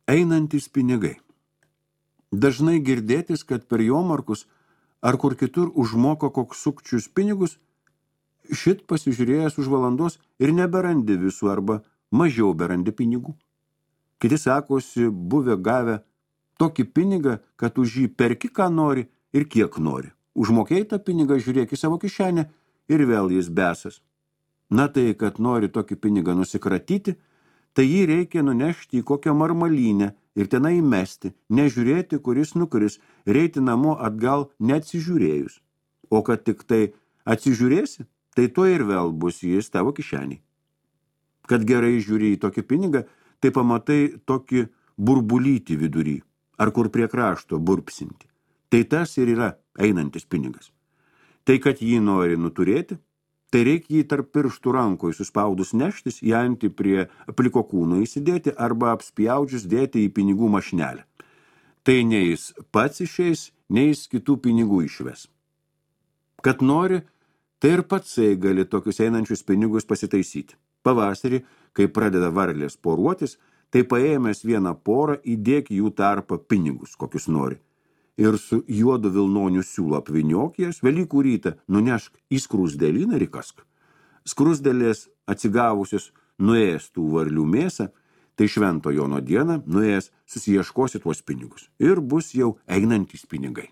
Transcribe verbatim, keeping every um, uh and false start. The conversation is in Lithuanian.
Einantys pinigai. Dažnai girdėtis, kad per jomarkus ar kur kitur užmoka koks sukčius pinigus, šit pasižiūrėjęs už valandos ir neberandi visų arba mažiau berandi pinigų. Kiti sakosi, buvę gavę tokį pinigą, kad už jį perki, ką nori ir kiek nori. Užmokėjai tą pinigą, žiūrėk į savo kišenę ir vėl jis besas. Na tai, kad nori tokį pinigą nusikratyti, tai jį reikia nunešti į kokią marmalynę ir tenai įmesti, nežiūrėti, kuris nukris, reiti namo atgal neatsižiūrėjus. O kad tik tai atsižiūrėsi, tai to ir vėl bus jis tavo kišeniai. Kad gerai žiūri į tokį pinigą, tai pamatai tokį burbulytį vidury, ar kur prie krašto burpsinti. Tai tas ir yra einantis pinigas. Tai, kad jį nori nuturėti, tai reikia jį tarp pirštų rankoj suspaudus neštis, į antį prie pliko kūno įsidėti arba apspjaudžius dėti į pinigų mašinelę. Tai nei jis pats išeis, nei jis kitų pinigų išves. Kad nori, tai ir patsai gali tokius einančius pinigus pasitaisyti. Pavasarį, kai pradeda varlės poruotis, tai paėmęs vieną porą įdėk jų tarpą pinigus, kokius nori. Ir su juodu vilnoniu siūlu apvyniok jas, Velykų rytą nunešk į skrusdėlyną ir įkask. Skrusdėlės atsigavusios nuėjęs tų varlių mėsą, tai švento Jono dieną nuėjęs susiieškosi tuos pinigus ir bus jau einantys pinigai.